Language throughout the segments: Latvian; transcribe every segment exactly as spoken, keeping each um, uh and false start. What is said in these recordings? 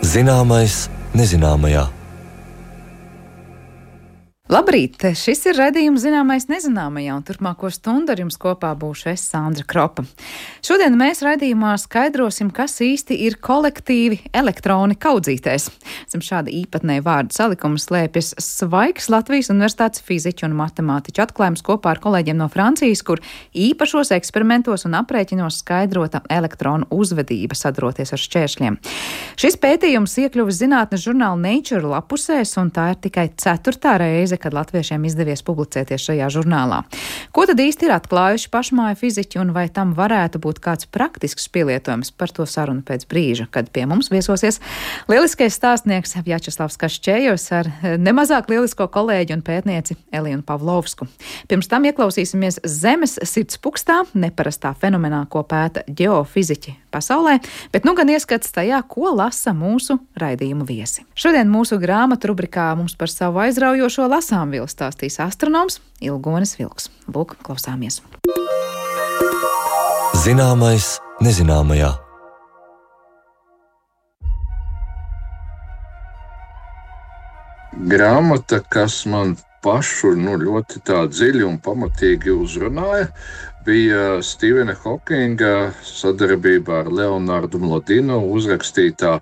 Zināmais nezināmajā. Labrīt! Šis ir raidījums Zināmais nezināmajā, un turpmāko stundu ar jums kopā būšu es, Sandra Kropa. Šodien mēs raidījumā skaidrosim, kas īsti ir kolektīvi elektroni kaudzītēs. Zem šāda īpatnēja vārdu salikuma slēpjas svaigs Latvijas Universitātes fiziķu un matemātiķu atklājums kopā ar kolēģiem no Francijas, kur īpašos eksperimentos un aprēķinos skaidrota elektronu uzvedība sadroties ar šķēršļiem. Šis pētījums iekļuvis zinātnes žurnāla Nature lapusēs, un tā ir tikai ceturtā reize, kad latviešiem izdevies publicēties šajā žurnālā. Ko tad īsti ir atklājuši pašmāju fiziķi, un vai tam varētu būt kāds praktisks pielietojums? Par to sarunu pēc brīža, kad pie mums viesosies lieliskais stāstnieks Vjačeslavs Kašķējos ar nemazāk lielisko kolēģi un pētnieci Eliju Pavlovsku. Pirms tam ieklausīsimies Zemes sirdspukstā, neparastā fenomenā, ko pēta ģeofiziķi pasaulē, bet nu gan ieskats tajā, ko lasa mūsu raidījumu viesi. Šodien mūsu grāmatu rubrikā mums par savu aizraujošo lasāmvielu stāstīs astronoms Ilgonis Vilks. Lūk, klausāmies. Zināmais nezināmajā. Grāmata, kas man pašu nu, ļoti tā dziļi un pamatīgi uzrunāja, bija Stīvena Hokinga sadarbībā ar Leonardu Mlodinu uzrakstītā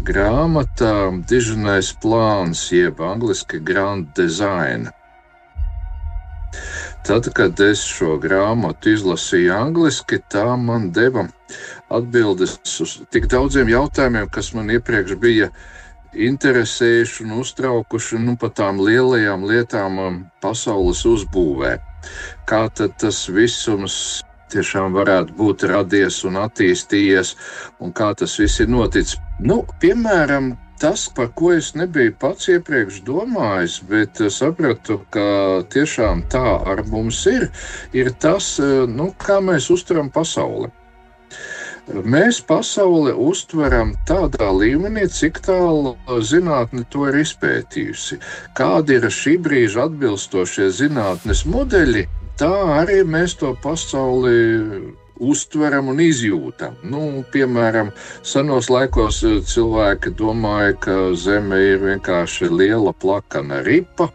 grāmata Dižanais plāns, jeb angliski Grand Design. Tad, kad es šo grāmatu izlasīju angliski, tā man deva atbildes uz tik daudziem jautājumiem, kas man iepriekš bija interesējuši un uztraukuši nu, par tām lielajām lietām pasaules uzbūvē. Kā tad tas visums tiešām varētu būt radies un attīstījies, un kā tas viss ir noticis. Nu, piemēram, tas, par ko es nebiju pats iepriekš domājis, bet sapratu, ka tiešām tā ar mums ir, ir tas, nu, kā mēs uztveram pasauli. Mēs pasauli uztveram tādā līmenī, cik tālu zinātne to ir izpētījusi. Kādi ir šī brīža atbilstošie zinātnes modeļi, tā arī mēs to pasauli uztveram un izjūtam. Nu, piemēram, senos laikos cilvēki domāja, ka Zeme ir vienkārši liela plakana ripa,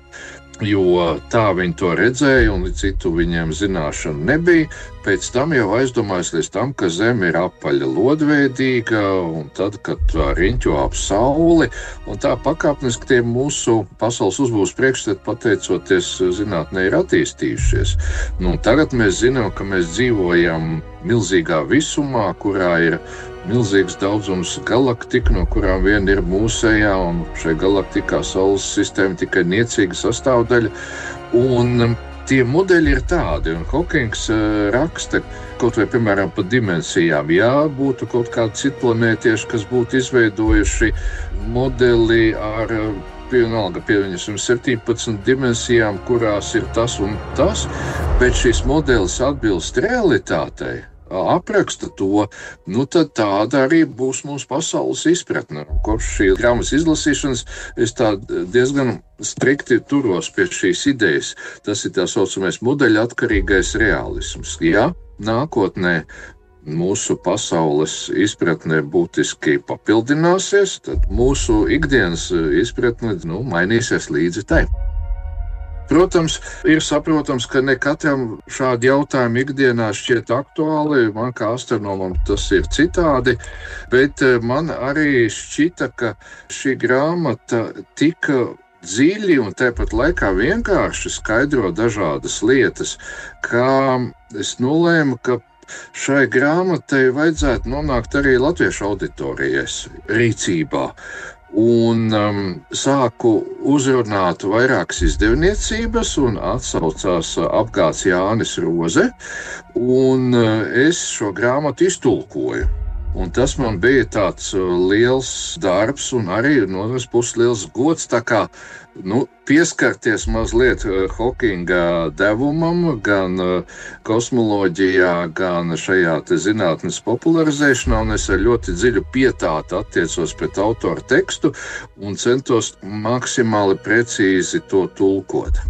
jo tā viņi to redzēja un citu viņiem zināšanu nebija. Pēc tam jau aizdomājas līdz tam, ka Zeme ir apaļa lodveidīga, un tad, kad tā riņķo ap sauli, un tā pakāpeniski tie mūsu pasaules uzbūves priekšstati pateicoties zinātnē ir attīstījušies. Nu, tagad mēs zinām, ka mēs dzīvojam milzīgā visumā, kurā ir milzīgs daudzums galaktiku, no kurām viena ir mūsējā, un šai galaktikā Saules sistēma tikai niecīga sastāvdaļa. Un tie modeļi ir tādi, un Hokings raksta kaut vai, piemēram, par dimensijām. Jā, būtu kaut kādi citplanētieši, kas būtu izveidojuši modeli ar vienalga pievienosim septiņpadsmit dimensijām, kurās ir tas un tas, bet šis modelis atbilst realitātei, apraksta to, nu tad tāda arī būs mūsu pasaules izpratne. Kopš šī grāmatas izlasīšanas es tā diezgan strikti turos pie šīs idejas. Tas ir tā saucamais modeļa atkarīgais realisms. Ja nākotnē mūsu pasaules izpratne būtiski papildināsies, tad mūsu ikdienas izpratne nu, mainīsies līdzi tai. Protams, ir saprotams, ka ne katram šādi jautājumi ikdienā šķiet aktuāli, man kā astronomam tas ir citādi, bet man arī šķita, ka šī grāmata tika dziļi un tāpat laikā vienkārši skaidro dažādas lietas, kā es nolēmu, ka šai grāmatai vajadzētu nonākt arī latviešu auditorijas rīcībā. Un um, sāku uzrunāt vairākas izdevniecības un atsaucās apgāds Jānis Roze, un uh, es šo grāmatu iztulkoju. Un tas man bija tāds liels darbs un arī no otras puses liels gods, tā kā nu, pieskarties mazliet Hokinga devumam, gan kosmoloģijā, gan šajā te zinātnes popularizēšanā, un es ar ļoti dziļu pietātu attiecos pret autoru tekstu un centos maksimāli precīzi to tulkot.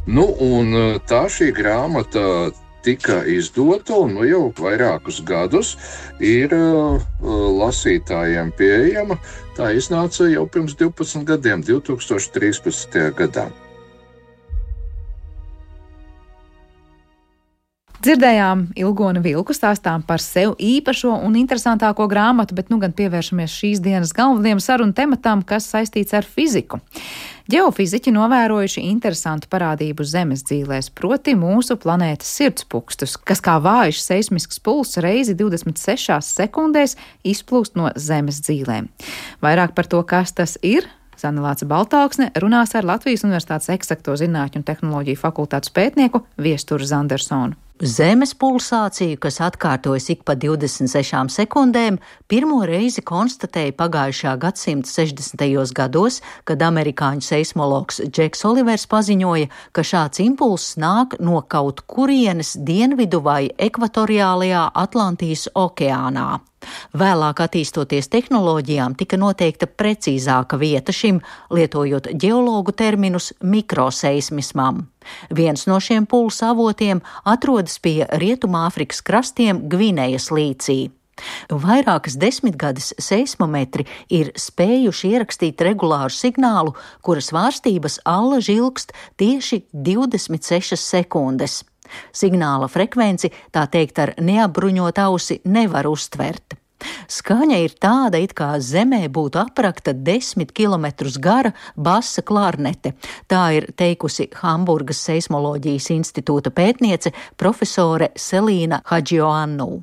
Nu, un tā šī grāmata tika izdota un nu jau vairākus gadus ir uh, lasītājiem pieejama. Tā iznāca jau pirms divpadsmit gadiem, divi tūkstoši trīspadsmitajā gadā. Dzirdējām Ilgoni Vilku stāstām par sev īpašo un interesantāko grāmatu, bet nu gan pievēršamies šīs dienas galvenajam sarunu tematam, kas saistīts ar fiziku. Ģeofiziķi novērojuši interesantu parādību zemes dzīvēs, proti mūsu planētas sirdspūkstus, kas kā vājš seismisks pulss reizi divdesmit sešās sekundēs izplūst no zemes dzīvēm. Vairāk par to, kas tas ir, Zane Lāce Baltāksne runās ar Latvijas Universitātes eksakto zinātņu un tehnoloģiju fakultātes pētnieku Viesturu Zandersonu. Zemes pulsāciju, kas atkārtojas ik pa divdesmit sešām sekundēm, pirmo reizi konstatēja pagājušā gadsimta sešdesmitajos gados, kad amerikāņu seismologs Džeks Olivers paziņoja, ka šāds impulss nāk no kaut kurienes dienvidu vai ekvatoriālajā Atlantijas okeānā. Vēlāk attīstoties tehnoloģijām, tika noteikta precīzāka vieta šim, lietojot ģeologu terminus mikroseismismam. Viens no šiem pulsa avotiem atrodas pie Rietumāfrikas krastiem Gvinejas līcī. Vairākas desmitgades seismometri ir spējuši ierakstīt regulāru signālu, kuras svārstības allaži ilgst tieši divdesmit sešas sekundes. Signāla frekvenci, tā teikt, ar neapbruņot ausi nevar uztvert. Skaņa ir tāda, it kā zemē būtu aprakta desmit kilometrus gara basa klarnete. Tā ir teikusi Hamburgas seismoloģijas institūta pētniece profesore Selīna Hadžioannu.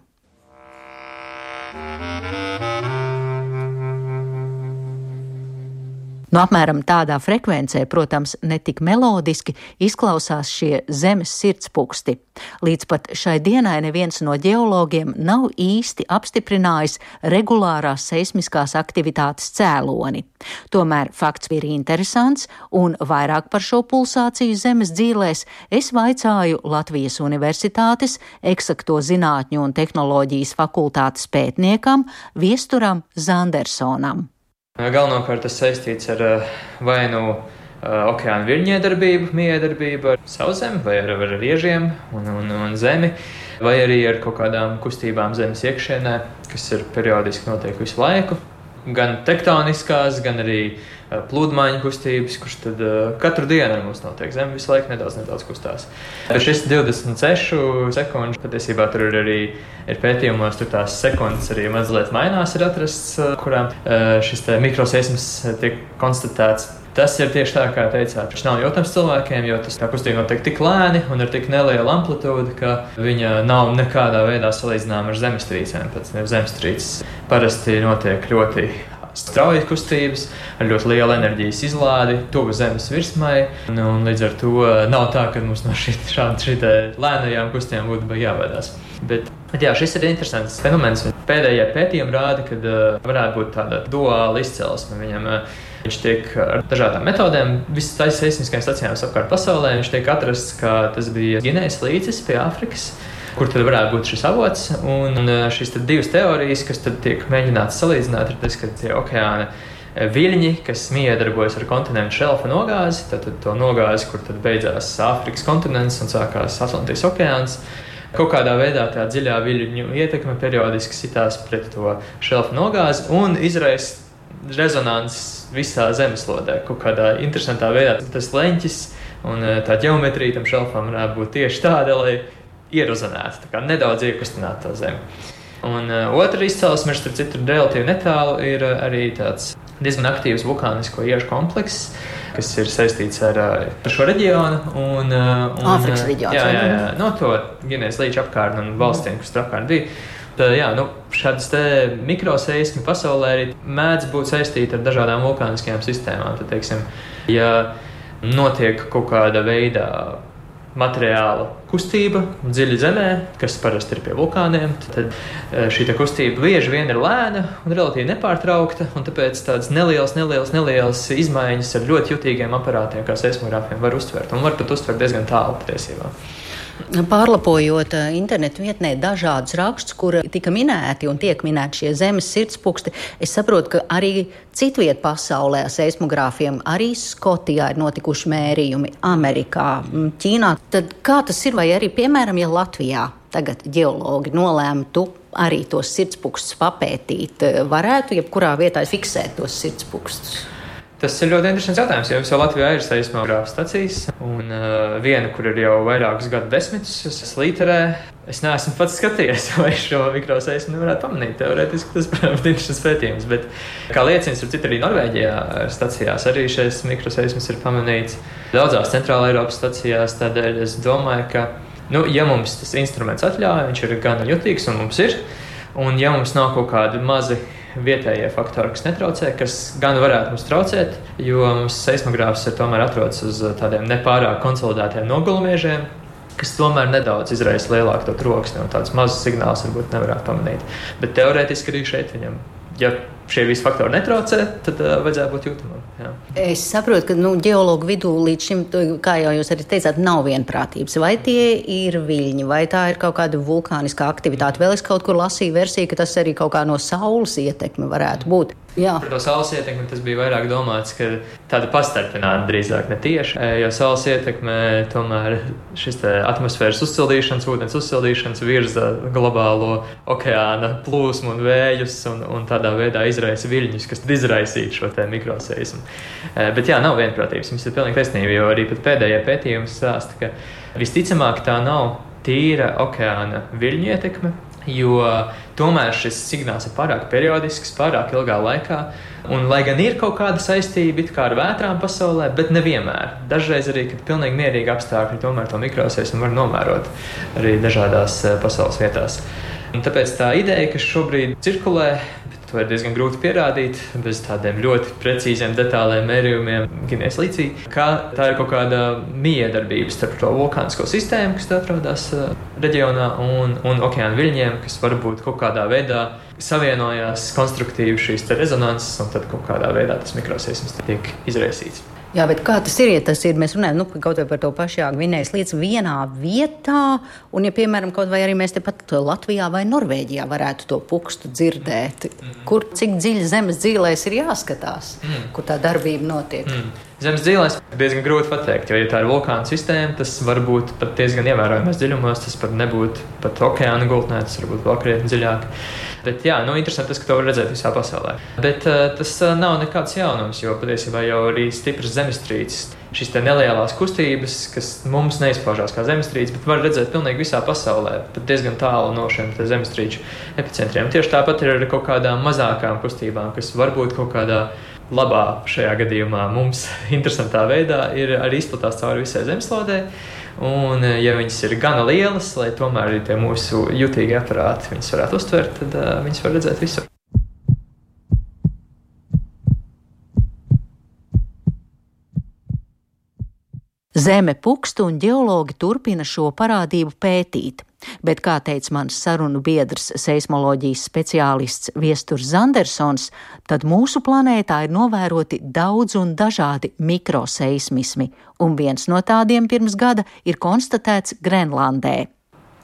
Nu, apmēram tādā frekvencē, protams, netik melodiski izklausās šie zemes sirdspūksti. Līdz pat šai dienai neviens no ģeologiem nav īsti apstiprinājis regulārās seismiskās aktivitātes cēloni. Tomēr fakts ir interesants, un vairāk par šo pulsāciju zemes dzīvēs es vaicāju Latvijas Universitātes eksakto zinātņu un tehnoloģijas fakultātes pētniekam Viesturam Zandersonam. Galvenokārt tas saistīts ar vai nu okeāna viļņiedarbību, miedarbību ar sauszemi, vai ar, ar riežiem un, un, un zemi, vai arī ar kaut kādām kustībām zemes iekšienē, kas ir periodiski notiek visu laiku. Gan tektoniskās, gan arī plūdmaiņu kustības, kurš tad uh, katru dienu ar mums notiek. Zeme visu laiku nedaudz, nedaudz kustās. Bet šis divdesmit sešu sekundžu, patiesībā tur ir arī ir pētījumos, tur tās sekundes arī mazliet mainās ir atrasts, kurām uh, šis te mikroseisms tiek konstatēts. Tas ir tieši tā, kā teicāt. Viņš nav jautājums cilvēkiem, jo tas tā kustība notiek tik lēni un ar tik nelielu amplitūdu, ka viņa nav nekādā veidā salīdzināma ar zemestrīcēm. Pēc zemestrīces parasti notiek ļoti strauji kustības, ar ļoti lielu enerģijas izlādi, tuvu zemes virsmai, un, un līdz ar to nav tā, ka mums no šī lēnajām kustībām būtu jābaidās. Bet, bet jā, šis ir interesants fenomens. Pēdējie pētījumi rāda, ka uh, varētu būt tāda duāla izcelsme. Viņam, uh, viņš tiek ar dažādām metodēm, visas taisa seismiskajām stacijām apkārt pasaulē, viņš tiek atrasts, ka tas bija Gvinejas līcis pie Āfrikas, kur tad varētu būt šis avots. Un šīs tad divas teorijas, kas tad tiek mēģināts salīdzināt, ir tas, ka tie okeāna viļņi, kas miedarbojas ar kontinentu šelfa nogāzi, tad, tad to nogāzi, kur tad beidzās Āfrikas kontinents un sākās Atlantijas okeāns, kaut kādā veidā tā dziļā viļņu ietekme periodiski sitās pret to šelfa nogāzi un izraisa rezonanses visā zemeslodē. Kaut kādā interesantā veidā tas leņķis un tā ģeometrija tam šelfam varētu būt tieši tāda, lai ierozonētu, tā kā nedaudz iekustinātu to zemi. Un uh, otra izcelsme, starp citu relatīvi netālu, ir uh, arī tāds diezgan aktīvs vulkānisko iežu komplekss, kas ir saistīts ar, ar šo reģionu. Un, un, Āfrikas reģions. Jā, jā, jā, no to Gvinejas līča apkārtni un valstīm, kas tur apkārt bija. Tā, jā, nu, šādas te mikroseismi pasaulē arī mēdz būt saistīti ar dažādām vulkāniskajām sistēmām. Tad, teiksim, ja notiek kaut kāda veidā materiāla kustība dziļi zemē, kas parasti ir pie vulkāniem, tad šī kustība bieži vien ir lēna un relatīvi nepārtraukta, un tāpēc tādas nelielas, nelielas, nelielas izmaiņas ar ļoti jutīgiem aparātiem, kā seismogrāfiem, var uztvert, un var pat uztvert diezgan tālu patiesībā. Pārlapojot internetu vietnē dažādus rakstus, kur tika minēti un tiek minēti šie zemes sirdspuksti, es saprotu, ka arī citviet pasaulē seismogrāfiem, arī Skotijā ir notikuši mērījumi, Amerikā, Ķīnā. Tad kā tas ir, vai arī, piemēram, ja Latvijā tagad ģeologi nolēmtu arī tos sirdspūkstus papētīt, varētu jebkurā vietā fiksēt tos sirdspūkstus? Tas ir ļoti interesants jautājums, jo jau Latvijā ir seismogrāfa stacijas, un uh, viena, kur ir jau vairākus gadu desmitus, Slīterē. Es neesmu pats skatījies, vai šo mikroseismu nevarētu pamanīt. Teorētiski tas, protams, ir interesants pētījums, bet kā liecins, ar citu arī Norvēģijā stacijās arī šis mikroseisms ir pamanīts. Daudzās centrāla Eiropas stacijās, tādēļ es domāju, ka, nu, ja mums tas instruments atļauj, viņš ir gan jutīgs, un mums ir, un ja mums nav kaut kādi mazi vietējie faktori, kas netraucē, kas gan varētu mums traucēt, jo mums seismogrāfs ir tomēr atrodas uz tādiem nepārāk konsolidētiem nogulumiežiem, kas tomēr nedaudz izraisa lielāku to troksni, un tāds mazs signāls varbūt nevarētu pamanīt. Bet teorētiski arī šeit viņam, ja šie visi faktori netraucē, tad uh, vajadzētu būt jūtamam. Jā. Es saprotu, ka nu, ģeologu vidū līdz šim, kā jau jūs arī teicāt, nav vienprātības. Vai tie ir viļņi, vai tā ir kaut kāda vulkāniskā aktivitāte? Vēl es kaut kur lasīju versiju, ka tas arī kaut kā no saules ietekme varētu būt. Jā. Par to saules ietekmi tas bija vairāk domāts, ka tāda pastarpināta drīzāk ne tieši, jo saules ietekme tomēr šis te atmosfēras uzsildīšanas, ūdens uzsildīšanas virza globālo okeāna plūsmu un vējus un, un tādā veidā izraisa viļņus, kas tad izraisītu šo te mikroseismu. Bet jā, nav vienprātības, jums ir pilnīgi taisnība, jo arī pat pēdējie pētījumi stāsta, ka visticamāk tā nav tīra okeāna viļņu ietekme, jo tomēr šis signāls ir pārāk periodisks, pārāk ilgā laikā, un lai gan ir kaut kāda saistība it kā ar vētrām pasaulē, bet nevienmēr. Dažreiz arī, kad pilnīgi mierīgi apstākļi, tomēr to mikroseismu var novērot arī dažādās pasaules vietās. Un tāpēc tā ideja, kas šobrīd cirkulē, to ir diezgan grūti pierādīt bez tādiem ļoti precīziem, detāliem mērījumiem Ginejas līcī, ka tā ir kaut kāda miedarbība starp to vulkānisko sistēmu, kas atrodas reģionā, un, un okeāna viļņiem, kas varbūt kaut kādā veidā savienojās konstruktīvi šīs te rezonanses, un tad kaut kādā veidā tas mikroseisms tiek izraisīts. Jā, bet kā tas ir, ja tas ir, mēs runājam, nu, kaut vai par to pašā Gvinējas līdz vienā vietā, un ja, piemēram, kaut vai arī mēs tepat Latvijā vai Norvēģijā varētu to pukstu dzirdēt, mm. kur cik dziļi zemes dzīlēs ir jāskatās, mm. kur tā darbība notiek. Mm. Zemes dzīlēs diezgan grūti pateikt, jo, ja tā ir vulkāna sistēma, tas var būt pat diezgan ievērojamās dziļumos, tas var nebūt pat okeāna gultnē, tas var būt vēl krietni dziļāk. Bet jā, nu interesanti tas, ka to var redzēt visā pasaulē. Bet uh, tas uh, nav nekāds jaunums, jo patiesībā jau arī stipras zemestrīces, šīs te nelielās kustības, kas mums neizpaužās kā zemestrīces, bet var redzēt pilnīgi visā pasaulē, pat diezgan tālu no šiem te zemestrīču epicentriem. Tieši tāpat ir ar kaut kādām mazākām kustībām, kas varbūt kaut kādā labā šajā gadījumā mums interesantā veidā ir arī izplatās cauri visai zemeslodē. Un, ja viņas ir gana lielas, lai tomēr arī tie mūsu jutīgie aparāti viņas varētu uztvert, tad uh, viņas var redzēt visur. Zeme pukst un ģeologi turpina šo parādību pētīt. Bet, kā teica mans sarunu biedrs, seismoloģijas speciālists Viesturs Zandersons, tad mūsu planētā ir novēroti daudz un dažādi mikroseismismi, un viens no tādiem pirms gada ir konstatēts Grenlandē.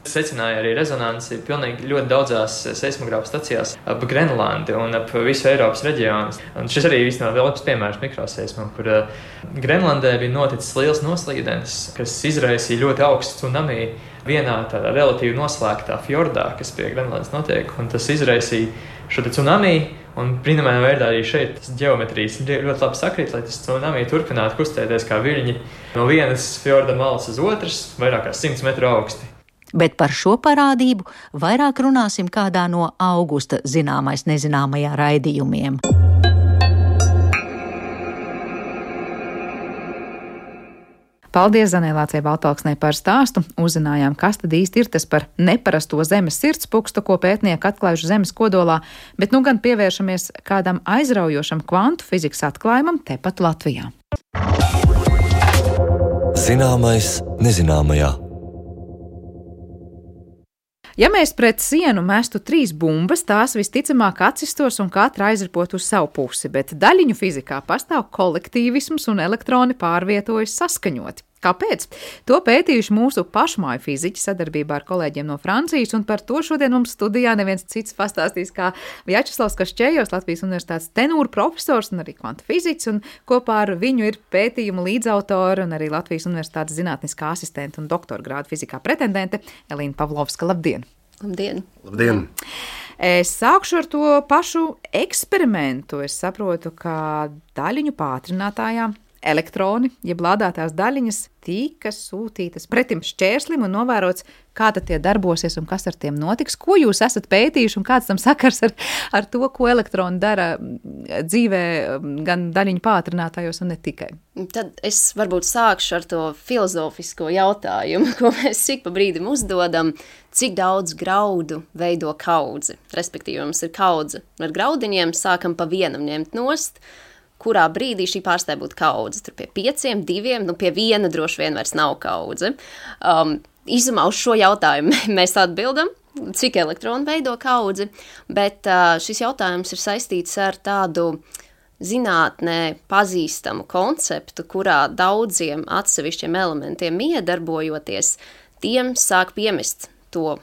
Secināja arī rezonanci pilnīgi ļoti daudzās seismogrāfa stacijās ap Grenlandi un ap visu Eiropas reģionu. Un šis arī viss nav vēl labs piemērs mikroseismam, kur uh, Grenlandē bija noticis liels noslīdens, kas izraisīja ļoti augstu tsunami vienā tādā relatīvi noslēgtā fjordā, kas pie Grenlandes notiek, un tas izraisīja šo te tsunami, un brīnumainā veidā arī šeit tas ģeometrijas ļoti labi sakrīt, lai tas tsunami turpinātu kustēties kā viļņi no vienas fjorda malas uz otras, vairāk kā simts metru augsti. Bet par šo parādību vairāk runāsim kādā no augusta zināmais nezināmajā raidījumiem. Paldies Zanēlācei Baltalksnei par stāstu. Uzzinājām, kas tad īsti ir tas par neparasto zemes sirdspukstu, ko pētnieki atklājuši zemes kodolā, bet nu gan pievēršamies kādam aizraujošam kvantu fizikas atklājumam tepat Latvijā. Zināmais nezināmajā. Ja mēs pret sienu mestu trīs bumbas, tās visticamāk atsistos un katra aizripot uz savu pusi, bet daļiņu fizikā pastāv kolektīvisms un elektroni pārvietojas saskaņoti. Kāpēc? To pētījuši mūsu pašmāju fiziķi sadarbībā ar kolēģiem no Francijas, un par to šodien mums studijā neviens cits pastāstīs kā Vjačeslavs Kašķejos, Latvijas Universitātes tenūra profesors un arī kvantu fiziķis, un kopā ar viņu ir pētījuma līdzautora un arī Latvijas Universitātes zinātniskā asistente un doktora grāda fizikā pretendente Elīna Pavlovska. Labdien! Labdien! Labdien! Es sākšu ar to pašu eksperimentu. Es saprotu, ka daļiņu pātrinātājām elektroni, jeb lādētās daļiņas, tika sūtītas pretim šķērslim un novērots, kā tad tie darbosies un kas ar tiem notiks. Ko jūs esat pētījuši un kāds tam sakars ar, ar to, ko elektroni dara dzīvē gan daļiņu pātrinātājos un ne tikai? Tad es varbūt sākšu ar to filozofisko jautājumu, ko mēs ik pa brīdim uzdodam, cik daudz graudu veido kaudzi. Respektīvi, mums ir kaudze ar graudiņiem, sākam pa vienam ņemt nost, kurā brīdī šī pārstāja būt kaudze. Tur pie pieciem, diviem, nu pie viena droši vien vairs nav kaudze. Um, Izumā uz šo jautājumu mēs atbildam, cik elektroni veido kaudzi, bet uh, šis jautājums ir saistīts ar tādu zinātnē pazīstamu konceptu, kurā daudziem atsevišķiem elementiem iedarbojoties, tiem sāk piemest to,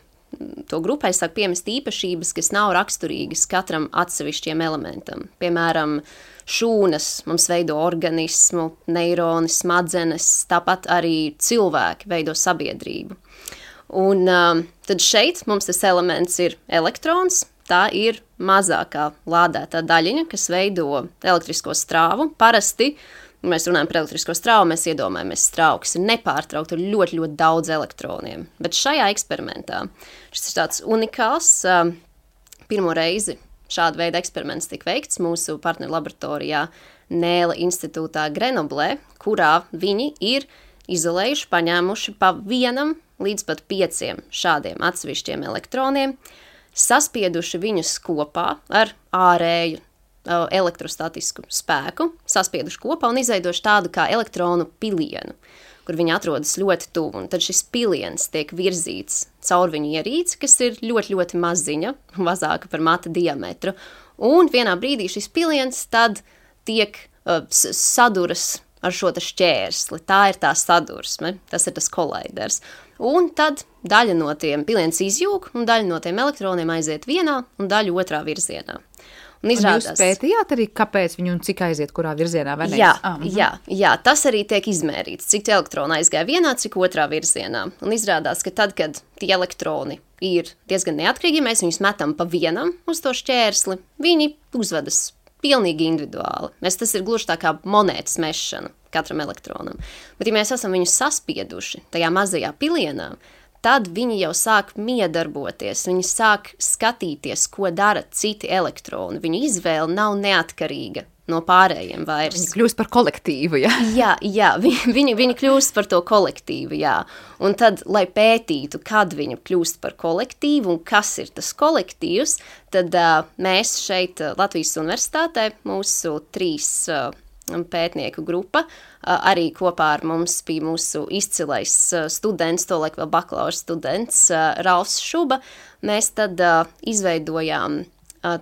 to grupai sāk piemest īpašības, kas nav raksturīgas katram atsevišķiem elementam. Piemēram, šūnas mums veido organismu, neironi, smadzenes, tāpat arī cilvēki veido sabiedrību. Un um, tad šeit mums tas elements ir elektrons, tā ir mazākā lādētā daļiņa, kas veido elektrisko strāvu. Parasti, ja mēs runājam par elektrisko strāvu, mēs iedomājamies strāvu, kas ir nepārtraukta ar ļoti, ļoti daudz elektroniem. Bet šajā eksperimentā šis ir tāds unikāls, um, pirmo reizi šāda veida eksperiments tika veikts mūsu partneru laboratorijā Nēla institūtā Grenoblē, kurā viņi ir izolējuši, paņēmuši pa vienam līdz pat pieciem šādiem atsevišķiem elektroniem, saspieduši viņus kopā ar ārēju uh, elektrostatisku spēku, saspieduši kopā un izveidoši tādu kā elektronu pilienu, kur viņi atrodas ļoti tuvu, un tad šis piliens tiek virzīts caur viņu ierīci, kas ir ļoti, ļoti maziņa, mazāka par mata diametru, un vienā brīdī šis piliens tad tiek uh, saduras ar šo te šķērsli, tā ir tā sadursme, tas ir tas koliders, un tad daļa no tiem piliens izjūg, un daļa no tiem elektroniem aiziet vienā, un daļa otrā virzienā. Un izrādās, un jūs pētījāt arī, kāpēc viņi un cik aiziet, kurā virzienā? Vai jā, ah, jā, jā, tas arī tiek izmērīts, cik elektroni aizgāja vienā, cik otrā virzienā. Un izrādās, ka tad, kad tie elektroni ir diezgan neatkarīgi, ja mēs viņus metam pa vienam uz to šķērsli, viņi uzvedas pilnīgi individuāli. Mēs, tas ir gluži tā kā monētas mešana katram elektronam. Bet ja mēs esam viņus saspieduši tajā mazajā pilienā, tad viņi jau sāk miedarboties, viņi sāk skatīties, ko dara citi elektroni. Viņu izvēle nav neatkarīga no pārējiem vairs. Viņi kļūst par kolektīvu, jā? Jā, jā, viņi, viņi kļūst par to kolektīvu, jā. Un tad, lai pētītu, kad viņi kļūst par kolektīvu un kas ir tas kolektīvs, tad uh, mēs šeit uh, Latvijas Universitātē, mūsu trīs uh, pētnieku grupa, arī kopā ar mums bija mūsu izcilais students, tolaik vēl bakalaura students Ralfs Šuba. Mēs tad izveidojām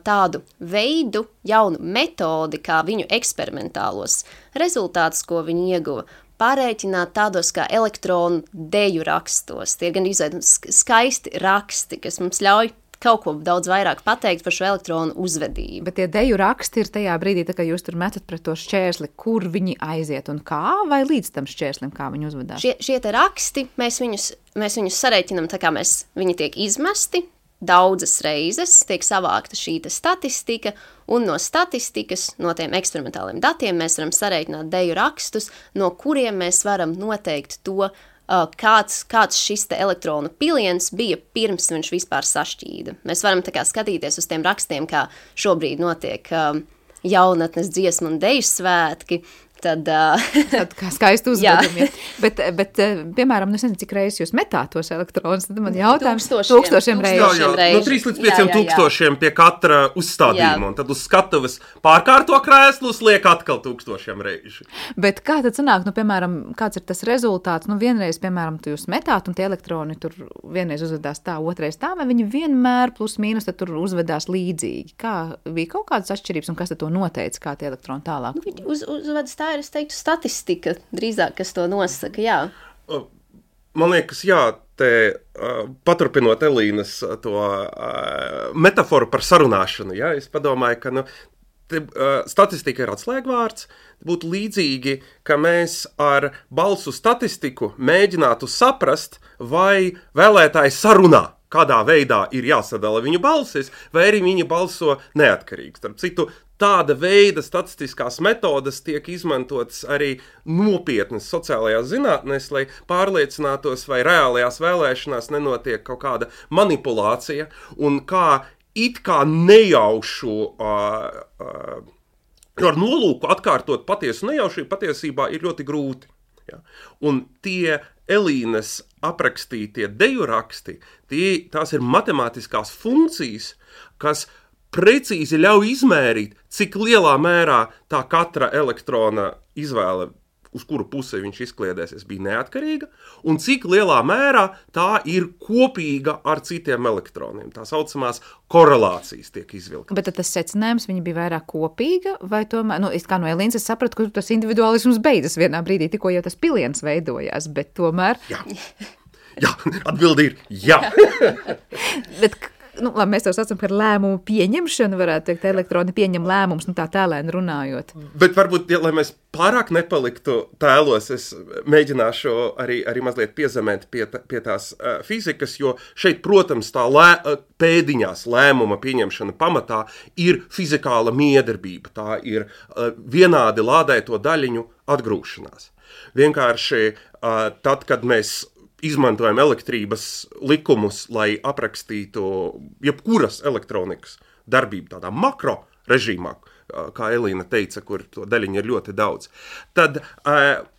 tādu veidu, jaunu metodi, kā viņu eksperimentālos rezultātus, ko viņi ieguva, pārēķināt tādos kā elektronu deju rakstos. Tie gan izveidot skaisti raksti, kas mums ļauj kaut ko daudz vairāk pateikt par šo elektronu uzvedību. Bet tie deju raksti ir tajā brīdī, tā kā jūs tur metat pret to šķērsli, kur viņi aiziet un kā, vai līdz tam šķērslim, kā viņi uzvedās? Šie, šie te raksti, mēs viņus, mēs viņus sarēķinam tā kā mēs, viņi tiek izmesti daudzas reizes, tiek savākta šī te statistika, un no statistikas, no tiem eksperimentāliem datiem mēs varam sarēķināt deju rakstus, no kuriem mēs varam noteikt to, Kāds, kāds šis te elektronu piliens bija pirms viņš vispār sašķīda. Mēs varam tā kā skatīties uz tiem rakstiem, kā šobrīd notiek um, jaunatnes dziesmu un deju svētki, tad... Uh, tad kā skaisti uzvedumi. bet, bet, piemēram, nu es nezinu, cik reizes jūs metāt tos elektronus, tad man jautājums tūkstošiem, tūkstošiem reižu. Jā, jā, no trīs līdz pieciem tūkstošiem pie katra uzstādījuma, un tad uz skatuves pārkārto krēslus liek atkal tūkstošiem reižu. Bet kā tad sanāk, nu, piemēram, kāds ir tas rezultāts? Nu, vienreiz, piemēram, tu jūs metāt, un tie elektroni tur vienreiz uzvedās tā, otrais tā, vai viņi vienmēr plus mīnus tad tur uzvedās līdzīgi? Kā bija kaut kādas atšķirības, un kas tad to noteica, kā tie elektroni tālāk? Nu, viņi uz, uzvedas tā tā ir, es teiktu, statistika drīzāk, kas to nosaka, jā. Man liekas, jā, te uh, paturpinot Elīnas to uh, metaforu par sarunāšanu, jā, es padomāju, ka, nu, te, uh, statistika ir atslēgvārds, būtu līdzīgi, ka mēs ar balsu statistiku mēģinātu saprast, vai vēlētāji sarunā, kādā veidā ir jāsadala viņu balsis, vai arī viņi balso neatkarīgi. Starp citu, tāda veida statistiskās metodas tiek izmantotas arī nopietnas sociālajās zinātnēs, lai pārliecinātos, vai reālajās vēlēšanās nenotiek kaut kāda manipulācija, un kā it kā nejaušu uh, uh, ar nolūku atkārtot patiesu nejaušību patiesībā ir ļoti grūti. Ja? Un tie Elīnas aprakstītie deju raksti, tie, tās ir matemātiskās funkcijas, kas precīzi ļauj izmērīt, cik lielā mērā tā katra elektrona izvēle, uz kuru pusi viņš izkliedēsies, bija neatkarīga, un cik lielā mērā tā ir kopīga ar citiem elektroniem. Tā saucamās korelācijas tiek izvilktas. Bet tad tas secinājums, viņa bija vairāk kopīga, vai tomēr, nu, es kā no Elīnas es sapratu, ka tas individuālisms beidzas vienā brīdī, tikko jau tas piliens veidojās, bet tomēr... Jā, jā atbildi ir jā. Bet... Nu, labi, mēs to saucam par lēmumu pieņemšanu, varētu teikt, elektroni pieņem lēmumus, nu tā tēlēni runājot. Bet varbūt, ja, lai mēs pārāk nepaliktu tēlos, es mēģināšu arī, arī mazliet piezemēt pie, pie tās uh, fizikas, jo šeit, protams, tā lē, pēdiņās lēmuma pieņemšana pamatā ir fizikāla miedarbība, tā ir uh, vienādi lādēto daļiņu atgrūšanās. Vienkārši uh, tad, kad mēs izmantojam elektrības likumus, lai aprakstītu jebkuras elektronikas darbību tādā makro režīmā, kā Elīna teica, kur to daļiņu ir ļoti daudz, tad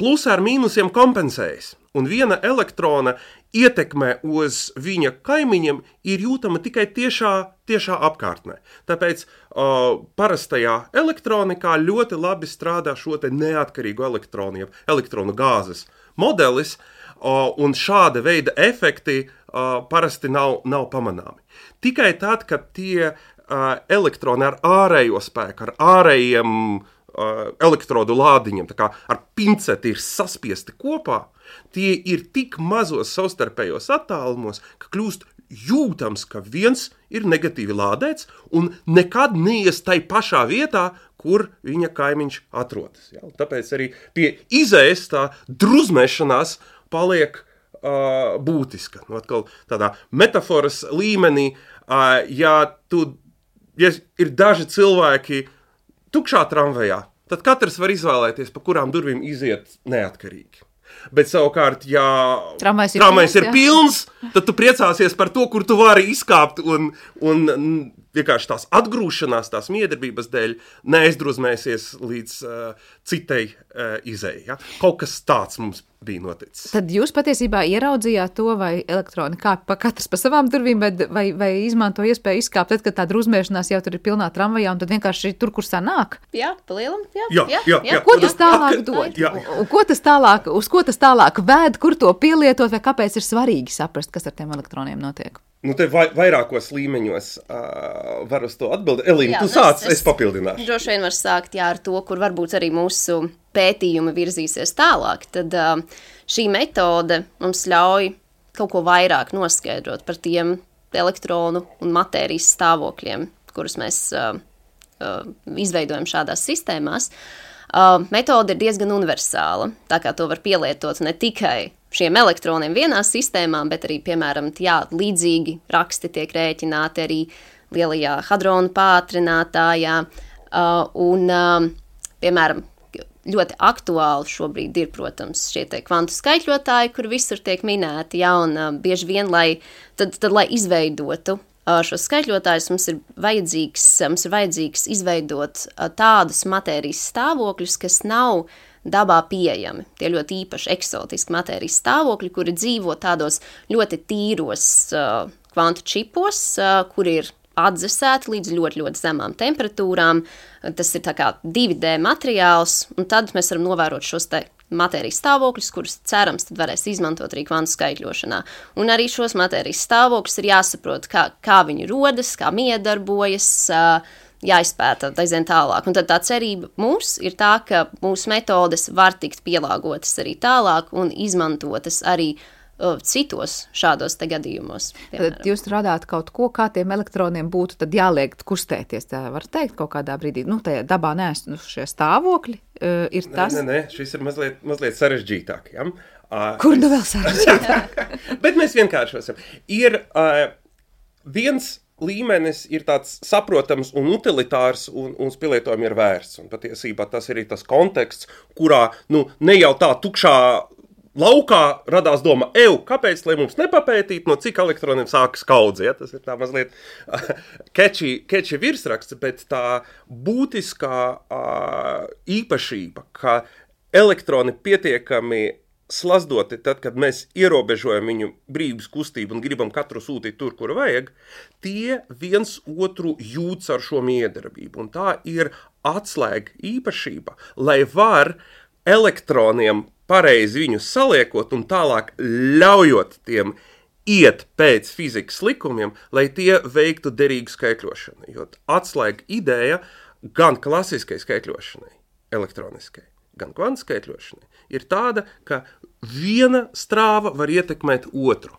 plus ar mīnusiem kompensējas. Un viena elektrona ietekme uz viņa kaimiņiem ir jūtama tikai tiešā, tiešā apkārtnē. Tāpēc uh, parastajā elektronikā ļoti labi strādā šo te neatkarīgu elektronu, elektronu gāzes modelis, uh, un šāda veida efekti uh, parasti nav, nav pamanāmi. Tikai tad, kad tie uh, elektroni ar ārējo spēku, ar ārējiem uh, elektrodu lādiņiem, tā kā ar pinceti ir saspiesti kopā, tie ir tik mazos savstarpējos attālumos, ka kļūst jūtams, ka viens ir negatīvi lādēts un nekad neies tai pašā vietā, kur viņa kaimiņš atrodas. Ja? Tāpēc arī pie izējas tā druzmēšanās paliek uh, būtiska. Nu, atkal tādā metaforas līmenī, uh, ja, tu, ja ir daži cilvēki tukšā tramvajā, tad katrs var izvēlēties, pa kurām durvīm iziet neatkarīgi. Bet savukārt, ja tramvajs ir, tramvajs ir pilns, pilns, tad tu priecāsies par to, kur tu vari izkāpt un, un vienkārši tās atgrūšanās, tās miedarbības dēļ neaizdruzmēsies līdz uh, citai uh, izēji. Ja? Kaut kas tāds mums bija noticis. Tad jūs patiesībā ieraudzījāt to, vai elektroni kāp pa katrs pa savām durvīm, vai, vai, vai izmanto iespēju izkāpt, tad, kad tā druzmēšanās jau tur ir pilnā tramvajā, un tad vienkārši tur, kur sanāk? Jā, pa lielam, jā. Jā, jā, jā, jā. Ko tas tālāk dod? Jā. Un ko tas tālāk, uz ko tas tālāk vēd, kur to pielietot, vai kāpēc ir svarīgi saprast, kas ar tiem elektroniem notiek? Nu, te vai, vairākos līmeņos uh, var uz to atbildēt. Elīna, tu sāc, es, es papildināšu. Droši vien var sākt jā, ar to, kur varbūt arī mūsu pētījumi virzīsies tālāk. Tad uh, šī metode mums ļauj kaut ko vairāk noskaidrot par tiem elektronu un matērijas stāvokļiem, kurus mēs uh, uh, izveidojam šādās sistēmās. Uh, metode ir diezgan universāla, tā kā to var pielietot ne tikai šiem elektroniem vienā sistēmā, bet arī, piemēram, jā, līdzīgi raksti tiek rēķināti arī lielajā hadronu pātrinātājā. Uh, un, uh, piemēram, ļoti aktuāli šobrīd ir, protams, šie te kvantu skaitļotāji, kur visur tiek minēti, jā, un uh, bieži vien, lai, tad, tad, lai izveidotu uh, šos skaitļotājus, mums ir vajadzīgs, mums ir vajadzīgs izveidot uh, tādus matērijas stāvokļus, kas nav dabā pieejami. Tie ļoti īpaši eksotiski matērijas stāvokļi, kuri dzīvo tādos ļoti tīros uh, kvantu čipos, uh, kur ir atdzesēti līdz ļoti, ļoti zemām temperatūrām. Tas ir tā kā divi D materiāls, un tad mēs varam novērot šos te matērijas stāvokļus, kurus cerams tad varēs izmantot arī kvantu skaitļošanā. Un arī šos matērijas stāvokļus ir jāsaprot, kā, kā viņi rodas, kā miedarbojas, uh, jāizpēta aizvien tālāk. Un tad tā cerība mums ir tā, ka mūsu metodes var tikt pielāgotas arī tālāk un izmantotas arī uh, citos šādos te gadījumos. Piemēram. Tad jūs radāt kaut ko, kā tiem elektroniem būtu tad jāliek kustēties, tā var teikt kaut kādā brīdī. Nu, tajā dabā neesošie stāvokļi uh, ir tas. Nē, nē, nē, šis ir mazliet, mazliet sarežģītāk, ja? Uh, Kur nu vēl sarežģītāk? Bet mēs vienkāršosim. Ir uh, viens līmenis ir tāds saprotams un utilitārs un, un uz pielietojumi ir vērsts. Un patiesībā tas ir tas konteksts, kurā nu, ne jau tā tukšā laukā radās doma, ev, kāpēc, lai mums nepapētīt, no cik elektroniem sākas kaudze. Ja? Tas ir tā mazliet catchy, catchy virsraksts, bet tā būtiskā uh, īpašība, ka elektroni pietiekami slazdoti, tad, kad mēs ierobežojam viņu brīvības kustību un gribam katru sūtīt tur, kur vajag, tie viens otru jūtas ar šo miedarbību. Un tā ir atslēga īpašība, lai var elektroniem pareizi viņus saliekot un tālāk ļaujot tiem iet pēc fizikas likumiem, lai tie veiktu derīgu skaitļošanu. Jo atslēga ideja gan klasiskai skaitļošanai, elektroniskai, gan kvantu skaitļošanai, ir tāda, ka viena strāva var ietekmēt otru.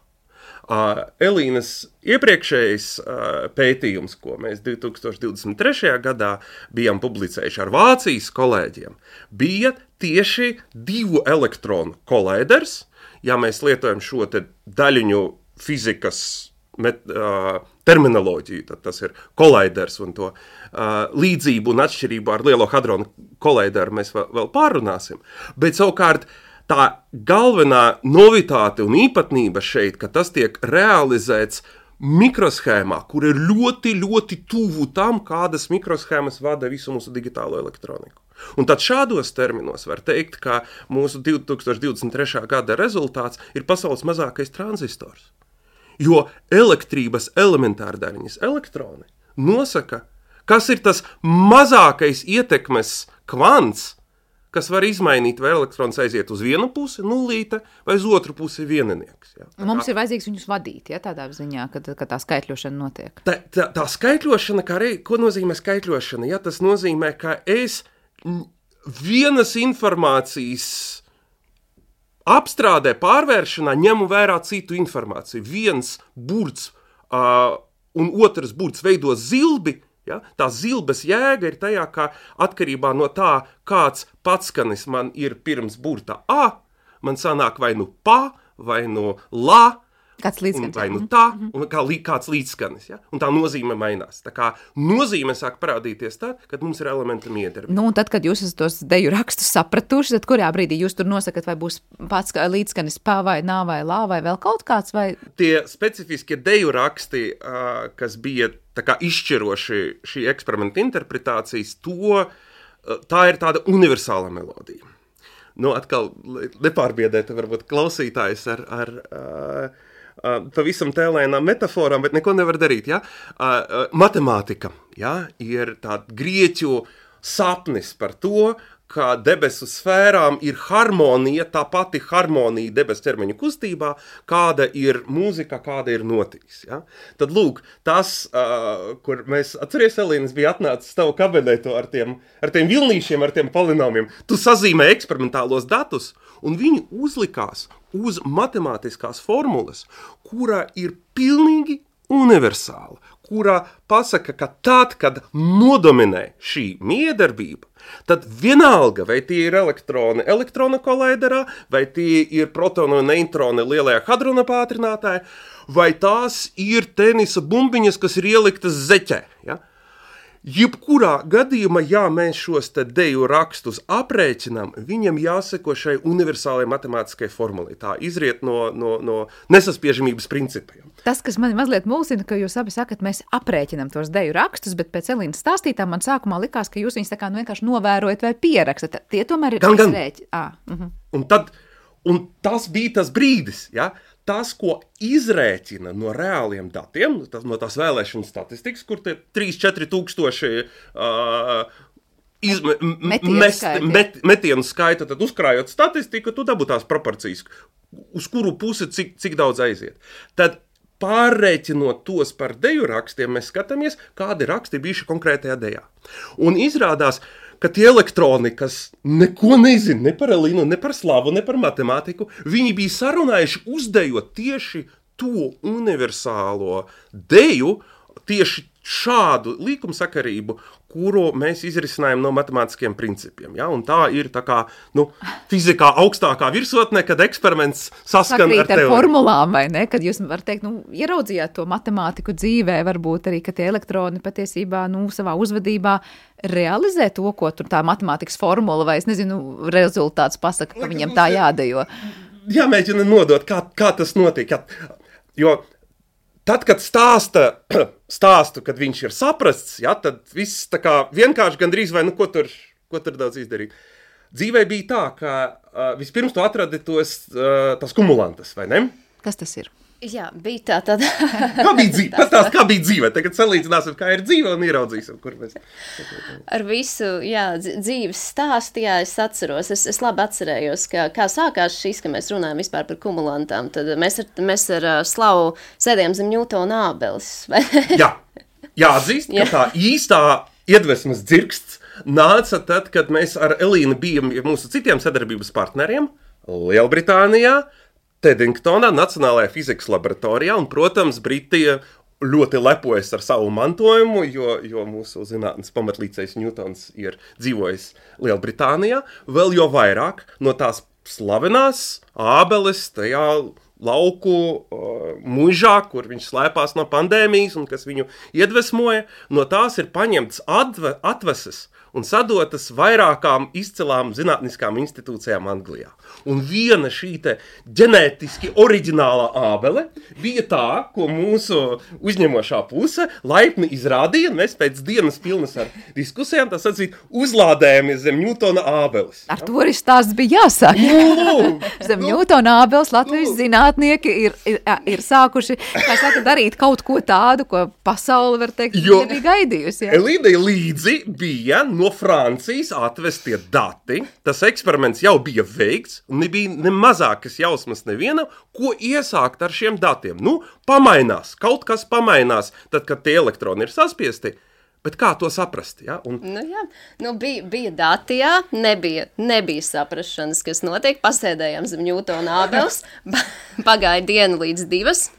Uh, Elīnas iepriekšējais uh, pētījums, ko mēs divi tūkstoši divdesmit trešajā gadā bijām publicējuši ar Vācijas kolēģiem, bija tieši divu elektronu kolaiders. Ja mēs lietojam šo te daļiņu fizikas met, uh, terminoloģiju, tad tas ir kolaiders un to uh, līdzību un atšķirību ar lielo hadronu kolaideru mēs vēl, vēl pārunāsim. Bet savukārt tā galvenā novitāte un īpatnība šeit, ka tas tiek realizēts mikroshēmā, kur ir ļoti, ļoti tuvu tam, kādas mikroshēmas vada visu mūsu digitālo elektroniku. Un tad šādos terminos var teikt, ka mūsu divi tūkstoši divdesmit trešā gada rezultāts ir pasaules mazākais tranzistors. Jo elektrības elementārdaļiņas elektroni nosaka, kas ir tas mazākais ietekmes kvants, kas var izmainīt, vai elektrons aiziet uz vienu pusi, nulīte, vai uz otru pusi vieninieks. Ja? Mums ir vajadzīgs viņus vadīt, ja, tādā ziņā, kad, kad tā skaitļošana notiek. Tā, tā, tā skaitļošana, kā rei, ko nozīmē skaitļošana? Ja? Tas nozīmē, ka es vienas informācijas apstrādē, pārvēršanā ņemu vērā citu informāciju. Viens burts uh, un otrs burts veido zilbi. Ja? Tā zilbes jēga ir tajā, ka atkarībā no tā, kāds patskanis man ir pirms burta A, man sanāk vai nu pa, vai nu la, kāds līdzskanis, vai nu tā, un kā, kāds līdzskanis. Ja? Un tā nozīme mainās. Tā kā nozīme sāk parādīties tad, kad mums ir elementa miedarbība. Nu, un tad, kad jūs esat tos deju rakstus sapratuši, tad kurā brīdī jūs tur nosakat, vai būs pats līdzskanis pa vai nā vai lā, vai vēl kaut kāds? Vai... Tie specifiskie deju raksti, kas bija tā kā izšķiroši šī eksperimenta interpretācijas, to, tā ir tāda universāla melodija. Nu, atkal nepārbiedēt varbūt klausītājs ar... ar uh, Uh, pavisam tēlēnām metaforām, bet neko nevar darīt. Ja? Uh, uh, matemātika ja? Ir tāda grieķu sapnis par to, ka debesu sfērām ir harmonija, tā pati harmonija debesu ķermeņa kustībā, kāda ir mūzika, kāda ir notiks. Ja? Tad lūk, tas, uh, kur mēs, atceries, Elīnas bija atnācis tavu kabinetu ar tiem, ar tiem vilnīšiem, ar tiem polinomiem, tu sazīmē eksperimentālos datus, un viņi uzlikās uz matemātiskās formulas, kurā ir pilnīgi universāla, kurā pasaka, ka tad, kad nodominē šī miedarbība, tad vienalga, vai tie ir elektroni elektrona kolaiderā, vai tie ir protoni un neitroni lielajā hadrona pātrinātājā, vai tās ir tenisa bumbiņas, kas ir ieliktas zeķē. Ja? Jebkurā gadījumā, ja mēs šos te deju rakstus aprēķinām, viņam jāseko šai universālajai matemātiskai formulai. Tā izriet no, no, no nesaspiežamības principiem. Tas, kas mani mazliet mulsina, ka jūs abi sakat, mēs aprēķinam tos deju rakstus, bet pēc Elīnas stāstītā man sākumā likās, ka jūs viņus tā kā nu vienkārši novērojat vai pierakstat. Tie tomēr ir izrēķi. Ah, uh-huh. un, tad, un tas bija tas brīdis, ja? Tas, ko izrēķina no reāliem datiem, tas, no tās vēlēšanu statistikas, kur tie trīs četri tūkstoši uh, izme, metienu, mest, skaita. met, metienu skaita, tad uzkrājot statistiku, tu dabū tās proporcijas, uz kuru pusi cik, cik daudz aiziet. Tad pārreiķinot tos par deju rakstiem, mēs skatāmies, kādi raksti bijuši konkrētajā dejā. Un izrādās, ka tie elektroni, kas neko nezina ne par Elīnu, ne par slavu, ne par matemātiku, viņi bija sarunājuši uzdejot tieši to universālo deju, tieši šādu līkumsakarību, kuru mēs izrisinājām no matemātiskiem principiem. Ja? Un tā ir tā kā, nu, fizikā augstākā virsotne, kad eksperiments saskan Sakrīt ar teoriju. ar formulām, vai ne? Kad jūs var teikt, nu, ieraudzījāt to matemātiku dzīvē, varbūt arī, ka tie elektroni patiesībā, nu, savā uzvedībā realizē to, ko tur tā matemātikas formula, vai es nezinu, rezultāts pasaka, ka viņam tā jādejo. Jāmēģina nodot, kā, kā tas notiek. Ja? Jo tad, kad stāsta stāstu, kad viņš ir saprasts, ja, tad viss tā kā vienkārši gandrīz vai, nu, ko tur, ko tur daudz izdarīt. Dzīvē bija tā, ka uh, vispirms tu atradi tos, uh, tos kumulantus, vai ne? Kas tas ir? Jā, bija tā tad. Kā bija dzīve? Pastāst, kā bija dzīve? Tagad salīdzināsim, kā ir dzīve un ieraudzīsim, kur mēs. Ar visu, jā, dzīves stāstu, jā, es atceros. Es, es labi atcerējos, ka, kā sākās šis, ka mēs runājam vispār par kumulantām. Tad mēs ar, mēs ar Slavu sēdējām zem Ņūtona ābeles. Jā, jāatzīst, ka tā īstā iedvesmas dzirksts nāca tad, kad mēs ar Elīnu bijām mūsu citiem sadarbības partneriem Lielbritānijā, Teddingtonā, Nacionālajā fizikas laboratorijā, un, protams, Britija ļoti lepojas ar savu mantojumu, jo, jo mūsu zinātnes pamatlīdzējs Ņūtons ir dzīvojis Lielbritānijā, vēl jo vairāk no tās slavenās ābeles tajā lauku uh, mužā, kur viņš slēpās no pandēmijas un kas viņu iedvesmoja, no tās ir paņemts atve, atveses un sadotas vairākām izcilām zinātniskām institūcijām Anglijā. Un viena šī te ģenētiski oriģinālā ābele bija tā, ko mūsu uzņemošā puse laipni izrādīja, un mēs pēc dienas pilnas ar diskusijām, tā sacīt, uzlādējamies zem Ņūtona ābeles. Ar to arī stāsts bija jāsāk. Zem Ņūtona ābeles Latvijas zinātnieki ir, ir, ir sākuši, kā saka, darīt kaut ko tādu, ko pasaule, var teikt, jo bija gaidījusi. Ja? Elīdei līdzi bija no Francijas atvestie dati, tas eksperiments jau bija veikts, un nebija ne mazākas jausmas neviena, ko iesākt ar šiem datiem. Nu, pamainās, kaut kas pamainās, tad, kad tie elektroni ir saspiesti, bet kā to saprast? Ja? Un... Nu jā, nu bija, bija dati, jā, nebija, nebija saprašanas, kas notiek, pasēdējām zem Ņūtona ābeles, pagāja diena līdz divas,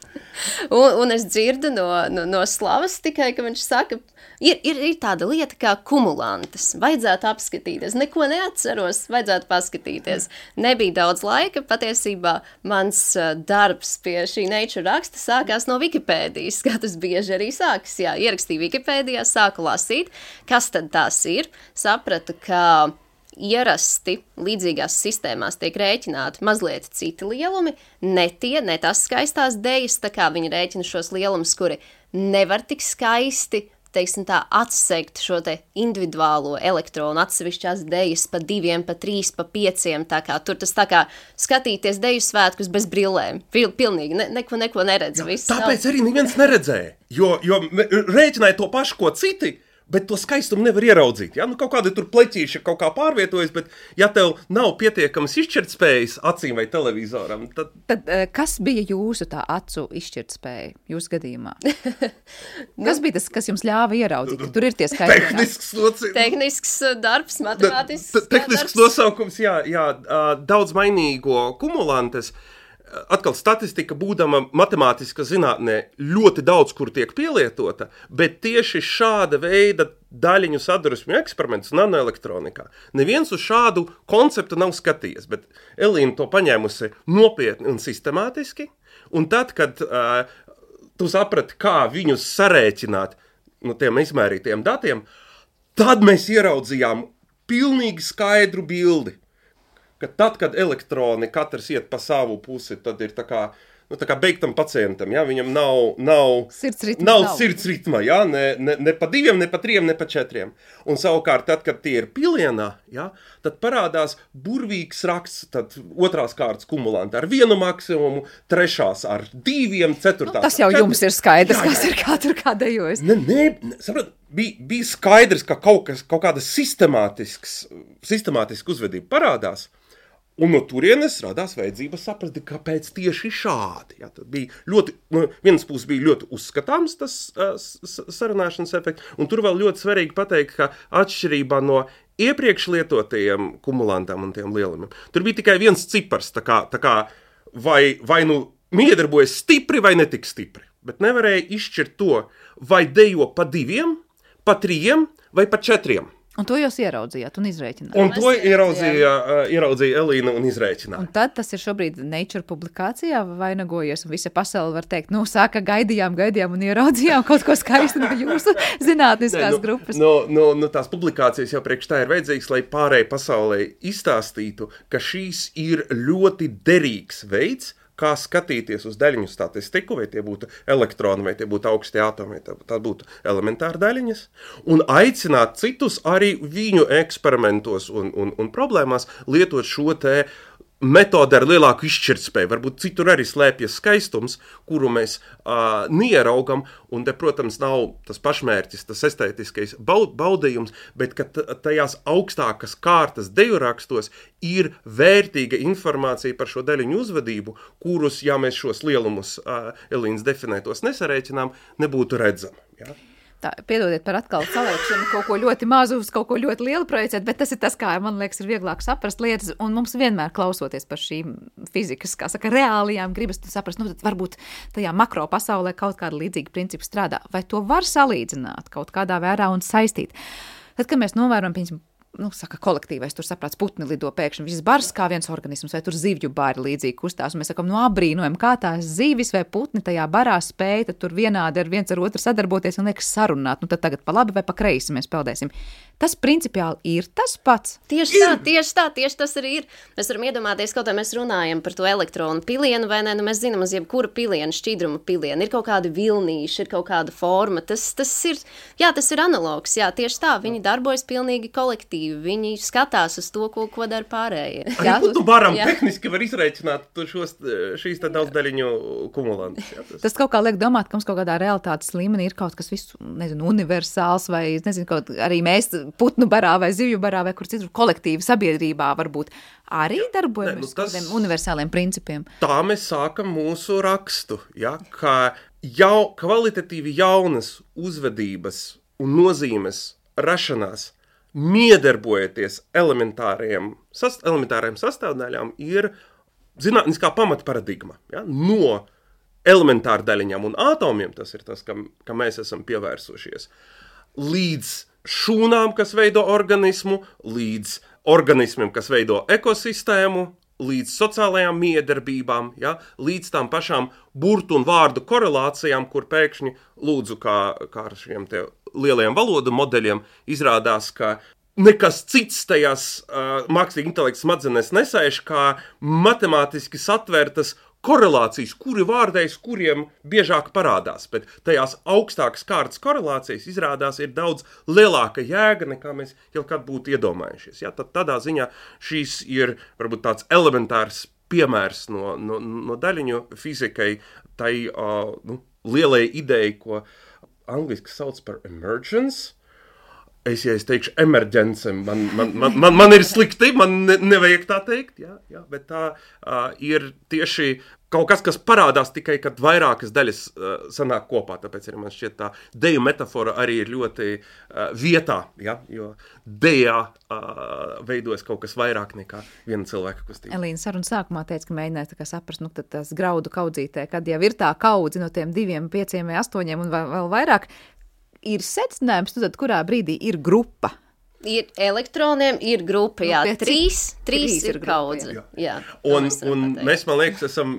un, un es dzirdu no, no, no Slavas tikai, ka viņš saka, Ir, ir, ir tāda lieta kā kumulantes. Vajadzētu apskatīties. Neko neatceros, vajadzētu paskatīties. Nebija daudz laika. Patiesībā mans uh, darbs pie šī Nature raksta sākās no Wikipēdijas, kā tas bieži arī sākas. Jā, ierakstīju Wikipēdijā, sāku lasīt, kas tad tās ir. Sapratu, ka ierasti līdzīgās sistēmās tiek rēķināti mazliet citi lielumi, ne tie, ne tas skaistās dejas, tā kā viņi rēķina šos lielumus, kuri nevar tik skaisti teiksim tā, atsegt šo te individuālo elektronu atsevišķās dejas pa diviem, pa trīs, pa pieciem, tā kā tur tas tā kā skatīties deju svētkus bez brillēm. Pil, pilnīgi, ne, neko, neko neredz. Jā, tāpēc arī neviens neredzēja, jo, jo rēķināja to pašu, ko citi, bet to skaistumu nevar ieraudzīt. Ja? Nu, kaut kāda tur pleķīša kaut kā pārvietojas, bet ja tev nav pietiekamas izšķirtspējas acīm vai televizoram, tad... Tad kas bija jūsu tā acu izšķirtspēja jūsu gadījumā? nu, kas bija tas, kas jums ļāva ieraudzīt, ka tur ir tie skaitļi? Tehnisks, noci... Tehnisks darbs, matemātisks darbs. Tehnisks nosaukums, jā, jā, daudz mainīgo kumulantes. Atkal statistika būdama matemātiska zinātnē ļoti daudz, kur tiek pielietota, bet tieši šāda veida daļiņu sadursmju eksperiments nanoelektronikā. Neviens uz šādu konceptu nav skatījies, bet Elīna to paņēmusi nopietni un sistemātiski, un tad, kad uh, tu saprati, kā viņus sarēķināt no tiem izmērītiem datiem, tad mēs ieraudzījām pilnīgi skaidru bildi. Ka tad, kad elektroni katrs iet pa savu pusi, tad ir tā kā, nu, tā kā beigtam pacientam, ja? Viņam nav, nav, sirdsritma, nav, nav. sirdsritma, ja? ne, ne, ne pa diviem, ne pa triem, ne pa četriem. Un savukārt, tad, kad tie ir pilienā, ja? Tad parādās burvīgs raksts, tad otrās kārtas kumulanti ar vienu maksimumu, trešās ar diviem, ceturtās. Nu, tas jau jums ir skaidrs, jā, jā. Kas ir kā tur kā dejojas. Ne, ne, ne saprot, bija, bija skaidrs, ka kaut, kas, kaut kāda sistemātisks, sistemātiska uzvedība parādās. Un no turienes radās vajadzība saprast, kāpēc tieši šādi. Ja, tad bija ļoti, no vienas puses bija ļoti uzskatāms tas uh, sarunāšanas efekts, un tur vēl ļoti svarīgi pateikt, ka atšķirībā no iepriekš lietotajiem kumulantām un tiem lielumiem, tur bija tikai viens cipars, tā kā, tā kā vai, vai nu miedarbojas stipri vai netik stipri, bet nevarēja izšķirt to, vai dejo pa diviem, pa trījiem vai pa četriem. Un to jūs ieraudzījāt un izrēķināt. Un to ieraudzīja, uh, ieraudzīja Elīna un izrēķināja. Un tad tas ir šobrīd Nature publikācijā vainagojies, un visa pasaule var teikt, nu, sāka gaidījām, gaidījām un ieraudzījām kaut ko skaistu no jūsu zinātniskās Nē, nu, grupas. No, no, no tās publikācijas jau priekš tā ir vajadzīgs, lai pārējai pasaulē izstāstītu, ka šīs ir ļoti derīgs veids, kā skatīties uz daļiņu statistiku, vai tie būtu elektroni, vai tie būtu augstie atomi, vai tā būtu elementāri daļiņas, un aicināt citus arī viņu eksperimentos un, un, un problēmās lietot šo te metode ar lielāku izšķirtspēju. Varbūt citur arī slēpjas skaistums, kuru mēs uh, nieraugam, un te, protams, nav tas pašmērķis, tas estētiskais baud, baudījums, bet ka tajās augstākas kārtas deju rakstos ir vērtīga informācija par šo daļiņu uzvedību, kurus, ja mēs šos lielumus uh, Elīnas definētos nesarēķinām, nebūtu redzami. Ja? Tā, piedodiet par atkal saliekšanu, kaut ko ļoti mazu uz kaut ko ļoti lielu projicēt, bet tas ir tas, kā, man liekas, ir vieglāk saprast lietas, un mums vienmēr klausoties par šīm fizikas, kā saka, reālijām, gribas saprast, nu, tad varbūt tajā makro pasaulē kaut kāda līdzīga principa strādā. Vai to var salīdzināt kaut kādā vērā un saistīt? Tad, kad mēs novērojam, piemēram, nu, saka, kolektīvais, tur saprāts putni lido pēkšņi, viss bars kā viens organisms, vai tur zivju bāri līdzīgi kustās, un mēs sakam, nu, abrīnojam, kā tās zivis vai putni tajā barā spēja, tad tur vienādi ar viens ar otru sadarboties un liekas sarunāt, nu, tad tagad pa labi vai pa kreisi mēs peldēsim. Tas principiāli ir tas pats. Tieši tā, tieši tā, tieši tas arī ir. Mēs varam iedomāties, kaut kā mēs runājam par to elektronu pilienu, vai ne, nu mēs zinām, uz jebkura piliena, šķidruma piliena, ir kaut kāda vilnīša, ir kaut kāda forma, tas, tas ir, jā, tas ir analogs, jā, tieši tā, viņi darbojas pilnīgi kolektīvi, viņi skatās uz to, ko, ko dara pārējie. Arī putu baram tehniski var izrēķināt šos, šīs tā daudz daļiņu kumulantus. Jā, tas. tas kaut kā liek domāt, ka mums kaut kādā realitātes līmenī ir kaut kas visu, nezinu, universāls, vai, nezinu, kaut arī mēs putnu barā vai zivju barā vai kur citur kolektīvi sabiedrībā varbūt arī darbojamies uz kādiem universāliem principiem. Tā mēs sākam mūsu rakstu, ja, ka jau kvalitatīvi jaunas uzvedības un nozīmes rašanās miedarbojoties elementāriem, sast, elementāriem sastāvdaļām ir zinātniskā pamata paradigma. Ja, no elementāru daļiņām un atomiem, tas ir tas, kam, kam mēs esam pievērsušies, līdz šūnām, kas veido organismu, līdz organismiem, kas veido ekosistēmu, līdz sociālajām miedarbībām, ja, līdz tām pašām burtu un vārdu korelācijām, kur pēkšņi lūdzu, kā, kā ar šiem te lielajiem valodu modeļiem, izrādās, ka nekas cits tajās uh, mākslīgi intelekta smadzenēs nesēž, kā matemātiski satvērtas korelācijas, kuri vārdēs, kuriem biežāk parādās, bet tajās augstākas kārtas korelācijas izrādās ir daudz lielāka jēga, nekā mēs jau kad būtu iedomājušies. Ja, tad tādā ziņā šīs ir varbūt tāds elementārs piemērs no, no, no daļiņu fizikai, tai uh, nu, lielai idejai, ko angliski sauc par emergence. Es, ja es teikšu emerģence, man, man, man, man, man ir slikti, man ne, nevajag tā teikt, jā, jā, bet tā uh, ir tieši kaut kas, kas parādās tikai, kad vairākas daļas uh, sanāk kopā, tāpēc arī man šķiet tā deju metafora arī ir ļoti uh, vietā, ja, jo dejā uh, veidojas kaut kas vairāk nekā viena cilvēka kustība. Elīna saruna sākumā teica, ka mēģināja tā kā saprast, nu tad tas graudu kaudzītē, kad jau ir tā kaudzi no tiem diviem, pieciem vai astoņiem un vēl, vēl vairāk, ir secinājums, nu tad kurā brīdī ir grupa? Ir elektroniem, ir grupa, jā, nu, trīs, trīs, trīs ir grupa, kaudze. Jā. Jā, un un mēs, man liekas, esam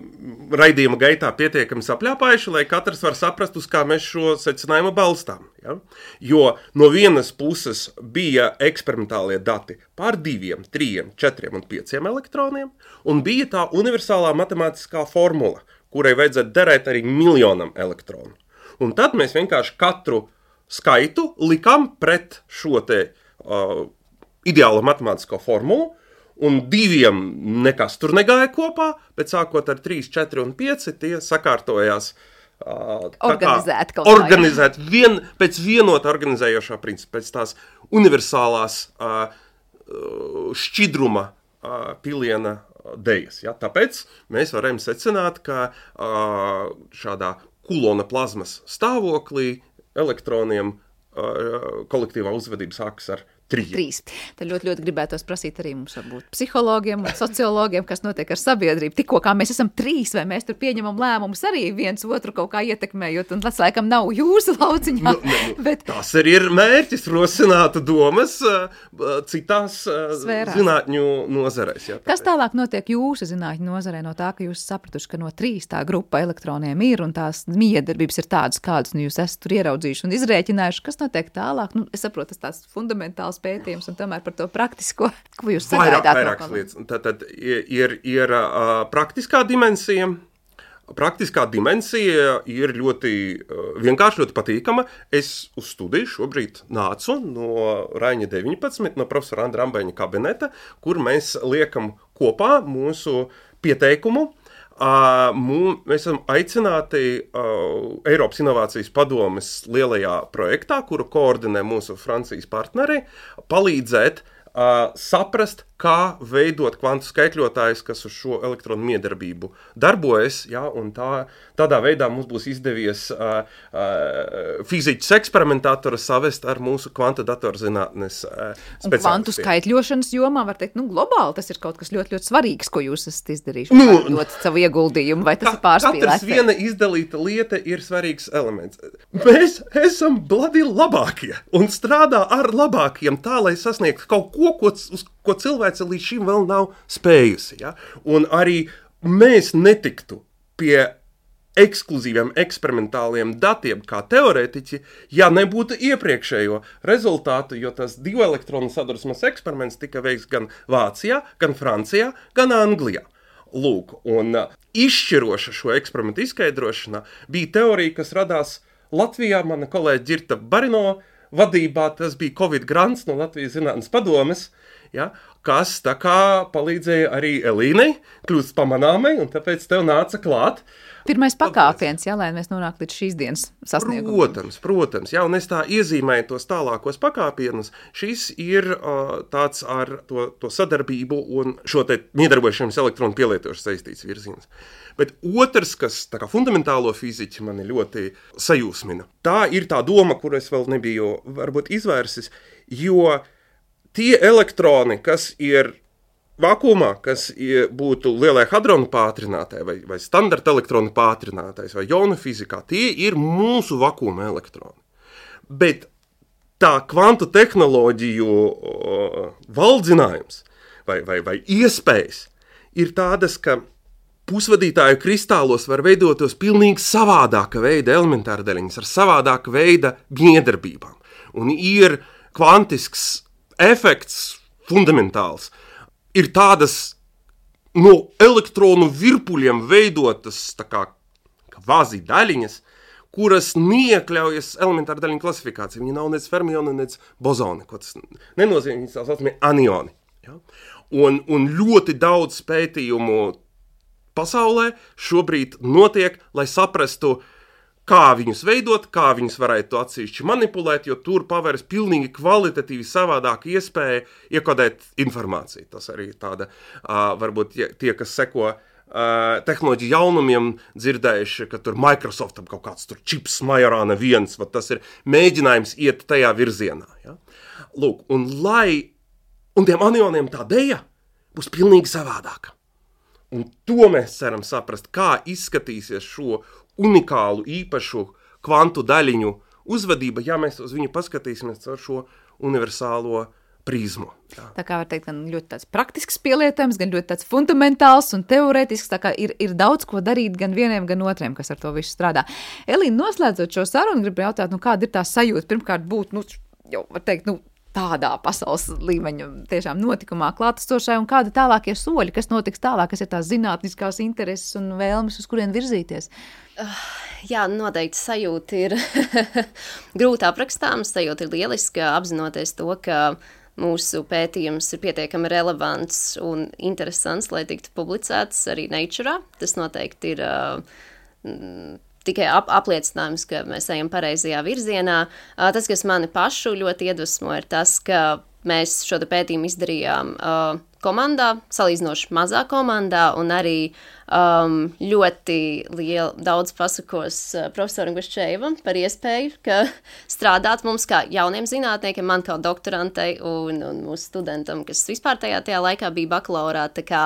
raidījuma gaitā pietiekami sapļāpājuši, lai katrs var saprast, uz kā mēs šo secinājumu balstām. Ja? Jo no vienas puses bija eksperimentālie dati pār diviem, trījiem, četriem un pieciem elektroniem, un bija tā universālā matemātiskā formula, kurai vajadzētu derēt arī miljonam elektronu. Un tad mēs vienkārši katru skaitu likām pret šo te uh, ideālo matemātisko formulu, un diviem nekas tur negāja kopā, bet sākot ar trīs, četri un pieci tie sakārtojās uh, organizēt kaut kā. Organizēt vien, pēc vienota organizējošā principa, pēc tās universālās uh, šķidruma uh, piliena dejas. Ja? Tāpēc mēs varam secināt, ka uh, šādā kulona plazmas stāvoklī elektroniem uh, kolektīvā uzvedība sākas ar trīs. Trīs. Tad ļoti, ļoti gribētos prasīt arī mums varbūt psihologiem un sociologiem, kas notiek ar sabiedrību. Tikko kā mēs esam trīs, vai mēs tur pieņemam lēmumus arī viens otru kaut kā ietekmējot, un tas laikam nav jūsu lauciņā. Nu, ne, nu, bet... Tas arī ir mērķis rosinātu domas uh, citās uh, zinātņu nozarēs. Jā, kas tālāk notiek jūsu zinātņu nozarē no tā, ka jūs sapratuši, ka no trīs tā grupa elektroniem ir un tās miedarbības ir tādas, kādas nu, jūs esat tur ieraudzījuši un izrēķinājuši? Kas notiek tālāk? Nu, es saprotu, tas tāds fundamentāls pētījums un tomēr par to praktisko, ko jūs sagaidāt. Vairāk, vairākas lietas. Tad, tad ir, ir uh, praktiskā dimensija. Praktiskā dimensija ir ļoti uh, vienkārši, ļoti patīkama. Es uz studiju šobrīd nācu no Raiņa deviņpadsmit, no profesora Andra Ambeņa kabineta, kur mēs liekam kopā mūsu pieteikumu. Uh, mū, mēs esam aicināti uh, Eiropas Inovācijas padomes lielajā projektā, kuru koordinē mūsu Francijas partneri, palīdzēt uh, saprast, kā veidot kvantu skaitļotājus, kas uz šo elektronu miedarbību darbojas, ja, un tā, tādā veidā mums būs izdevies uh, uh, fiziķus eksperimentātoru savest ar mūsu kvantu datorzinātnes uh, speciālistiem. Un kvantu skaitļošanas jomā, var teikt, nu globāli tas ir kaut kas ļoti, ļoti svarīgs, ko jūs esat izdarījuši, nu, dot savu ieguldījumu, vai tas ka, ir pārspīlēts? Katrs viena izdalīta lieta ir svarīgs elements. Mēs esam bladi labākie un strādā ar labākiem tā, lai sasniegtu kaut ko, ko, uz ko cilvēce līdz šim vēl nav spējusi. Ja? Un arī mēs netiktu pie ekskluzīviem eksperimentāliem datiem kā teorētiķi, ja nebūtu iepriekšējo rezultātu, jo tas divu elektronu sadursmes eksperiments tika veikts gan Vācijā, gan Francijā, gan Anglijā. Lūk, un izšķiroša šo eksperimentu izskaidrošanā bija teorija, kas radās Latvijā, mana kolēģa Ģirta Barino vadībā, tas bija Covid grants no Latvijas zinātnes padomes, ja, kas tā kā palīdzēja arī Elīnei kļūst pamanāmai, un tāpēc tev nāca klāt. Pirmais pakāpiens, jā, lai mēs nonāktu līdz šīs dienas sasniegumam. Protams, protams, jā, un es tā iezīmēju tos tālākos pakāpienus. Šis ir uh, tāds ar to, to sadarbību un šo te miedarbošanas elektronu pielietošu saistīts virziens. Bet otrs, kas tā kā fundamentālo fiziķi mani ļoti sajūsmina, tā ir tā doma, kuru es vēl nebiju varbūt izvērsis, jo tie elektroni, kas ir vakumā, kas ir, būtu lielai hadronu pātrinātāji vai, vai standarta elektronu pātrinātājs vai jonu fizikā, tie ir mūsu vakuma elektroni. Bet tā kvantu tehnoloģiju o, valdzinājums vai, vai, vai iespējas ir tādas, ka pusvadītāju kristālos var veidotos pilnīgi savādāka veida elementāra daļiņas ar savādāka veida miedarbībām. Un ir kvantisks efekts fundamentāls. Ir tādas no elektronu virpuļiem veidotas tā kā kvazi daļiņas, kuras neiekļaujas elementāra daļiņu klasifikācija. Viņi nav nec fermioni, nec bozoni, ko tas nenozīmē, viņi tā saucamie anioni. Ja? Un, un ļoti daudz pētījumu pasaulē šobrīd notiek, lai saprastu, kā viņus veidot, kā viņus varētu atsevišķi manipulēt, jo tur paveras pilnīgi kvalitatīvi savādāka iespēja iekodēt informāciju. Tas arī tāda, uh, varbūt tie, kas seko uh, tehnoloģiju jaunumiem, dzirdējuši, ka tur Microsoftam kaut kāds tur čips Majorāna viens, va, tas ir mēģinājums iet tajā virzienā. Ja? Lūk, un lai, un tiem anioniem tā deja būs pilnīgi savādāka. Un to mēs ceram saprast, kā izskatīsies šo unikālu, īpašu kvantu daļiņu uzvedība, ja mēs uz viņu paskatīsimies ar šo universālo prizmu. Jā. Tā kā var teikt, gan ļoti tāds praktisks pielietojums, gan ļoti tāds fundamentāls un teorētisks, tā kā ir, ir daudz ko darīt gan vieniem, gan otriem, kas ar to visu strādā. Elīna, noslēdzot šo sarunu, gribu jautāt, nu kāda ir tā sajūta, pirmkārt būt, nu, jau var teikt, nu, tādā pasaules līmeņa tiešām notikumā klātesošai un kādi tālākie soļi, kas notiks tālāk, kas ir tās zinātniskās intereses un vēlmes, uz kurien virzīties? Uh, jā, noteikti sajūta ir grūti aprakstāms, sajūta ir lieliska, apzinoties to, ka mūsu pētījums ir pietiekami relevants un interesants, lai tiktu publicēts arī Nature. Tas noteikti ir uh, tikai ap, apliecinājums, ka mēs ejam pareizajā virzienā. Tas, kas mani pašu ļoti iedvesmo, ir tas, ka mēs šo pētījumu izdarījām uh, komandā, salīdzinoši mazā komandā, un arī um, ļoti liela, daudz pasakos uh, profesoram Guščēvam par iespēju, ka strādāt mums kā jauniem zinātniekiem, man kā doktorantei un, un mūsu studentam, kas vispār tajā, tajā laikā bija bakalaurāta, tā kā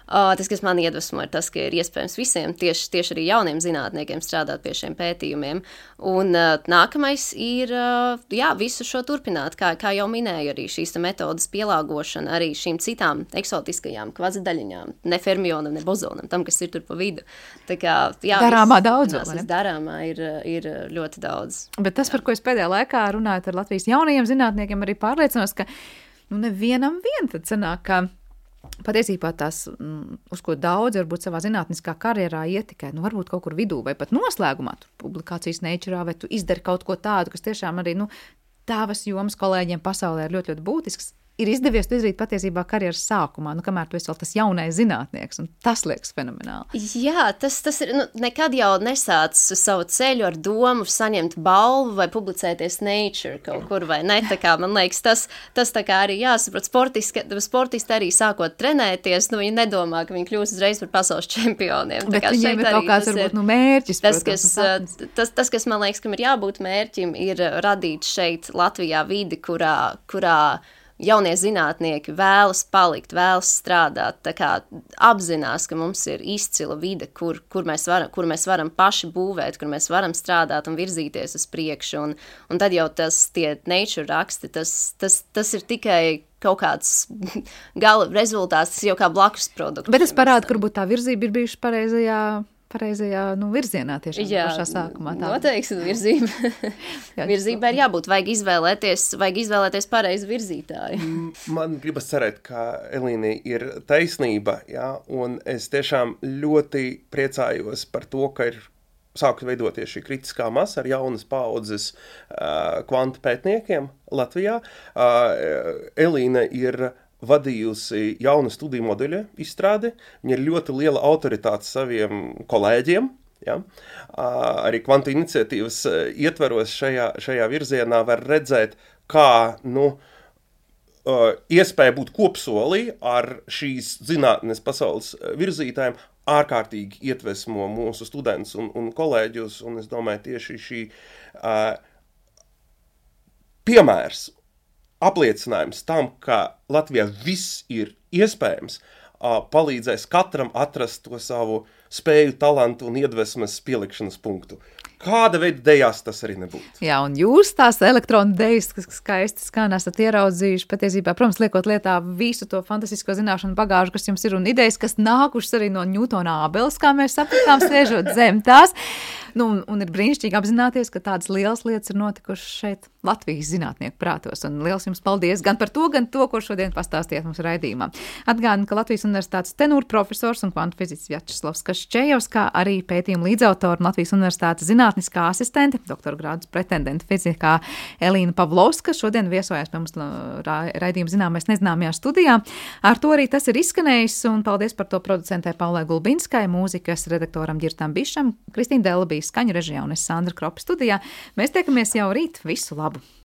Uh, tas, kas man iedvesmo, ir tas, ka ir iespējams visiem, tieši, tieši arī jauniem zinātniekiem strādāt pie šiem pētījumiem. Un uh, nākamais ir, uh, jā, visu šo turpināt, kā, kā jau minēju, arī šīs metodas pielāgošana arī šīm citām eksotiskajām kvazidaļiņām, ne fermionam, ne bozonam, tam, kas ir tur pa vidu. Tā kā, jā, darāmā daudz, vai ne? Darāmā ir, ir ļoti daudz. Bet tas, jā. par ko es pēdējā laikā runājot ar Latvijas jaunajiem zinātniekiem, arī pārliecinos, ka nu, nevienam vien tad sanāk, ka patiesībā tās, uz ko daudz varbūt savā zinātniskā karjerā ietikai, nu varbūt kaut kur vidū vai pat noslēgumā, tu publikācijas Nature, vai tu izdari kaut ko tādu, kas tiešām arī, nu, tavas jomas kolēģiem pasaulē ir ļoti, ļoti būtisks, ir izdevies to izdarīt patiesībā karjeras sākumā, nu, kamēr tu esi vēl tas jaunais zinātnieks, un tas liekas fenomenāli. Jā, tas, tas ir, nu, nekad jau nesāc savu ceļu ar domu saņemt balvu vai publicēties Nature kaut kur, vai ne, tā kā, man liekas, tas, tas tā kā arī jāsaprot, sportisti, sportisti arī sākot trenēties, nu, viņi nedomā, ka viņi kļūs uzreiz par pasaules čempioniem. Bet viņiem ir kaut kāds, varbūt, nu, mērķis, tas, protams, kas, tas, tas, kas man liekas, kam ir jābūt mērķim, ir radīt šeit Latvijā vidi, kurā, kurā jaunie zinātnieki vēlas palikt, vēlas strādāt, tā kā apzinās, ka mums ir izcila vide, kur, kur, mēs varam, kur mēs varam paši būvēt, kur mēs varam strādāt un virzīties uz priekšu, un, un tad jau tas tie Nature raksti, tas, tas, tas ir tikai kaut kāds gala rezultāts, tas jau kā blakus produkts. Bet es parādu, ka varbūt tā virzība ir bijuši pareizajā pareizajā, nu, virzienā tiešām jā, pašā sākumā. Tā. Noteikti virzība. Virzība ir jābūt, vajag izvēlēties, vajag izvēlēties pareizu virzītāju. Man gribas cerēt, ka Elīnai ir taisnība, jā, un es tiešām ļoti priecājos par to, ka ir sākt veidoties šī kritiskā masa ar jaunas paaudzes uh, kvantu pētniekiem Latvijā. Uh, Elīna ir vadījusi jaunu studiju modeļu izstrādi. Viņa ir ļoti liela autoritāte saviem kolēģiem. Ja? Arī kvantu iniciatīvas ietveros šajā, šajā virzienā var redzēt, kā nu, iespēja būt kopsolī ar šīs zinātnes pasaules virzītājiem ārkārtīgi iedvesmo mūsu studentus un, un kolēģus. Un es domāju, tieši šī uh, piemērs, apliecinājums tam, ka Latvijā viss ir iespējams, palīdzēs katram atrast to savu spēju, talantu un iedvesmas pielikšanas punktu. Kāda veida dejās tas arī nebūtu. Jā, un jūs tās elektronu dejas, kas skaisti skan, esat ieraudzījuši patiesībā, protams, liekot lietā visu to fantastisko zināšanu bagāžu, kas jums ir, un idejas, kas nākušas arī no Ņūtona ābeles, kā mēs sapratām, sēžot zem tās. Nu, un, un ir brīnišķīgi apzināties, ka tādas lielas lietas ir notikušas šeit Latvijas zinātnieku prātos. Un liels jums paldies gan par to, gan to, ko šodien pastāstījāt mums raidījumā. Atgādinu, ka Latvijas Universitātes tenūra profesors un kvantu fiziķis Vjačeslavs Kaščejevs, kā arī pētījuma līdzautora un Latvijas Universitātes zinātniskā asistente, doktora grādus pretendenta fizikā Elīna Pavlovska, šodien viesojās pie mums raidījuma Zināmais nezināmajā studijā. Ar to arī tas ir izskanējis, un paldies par to producentē Paulai Gulbinskai, mūzikas redaktoram Ģirtam Bišam, Kristīna Dela bija skaņu režijā un es Sandra Kropa studijā. Mēs tiekamies jau rīt. Visu labu!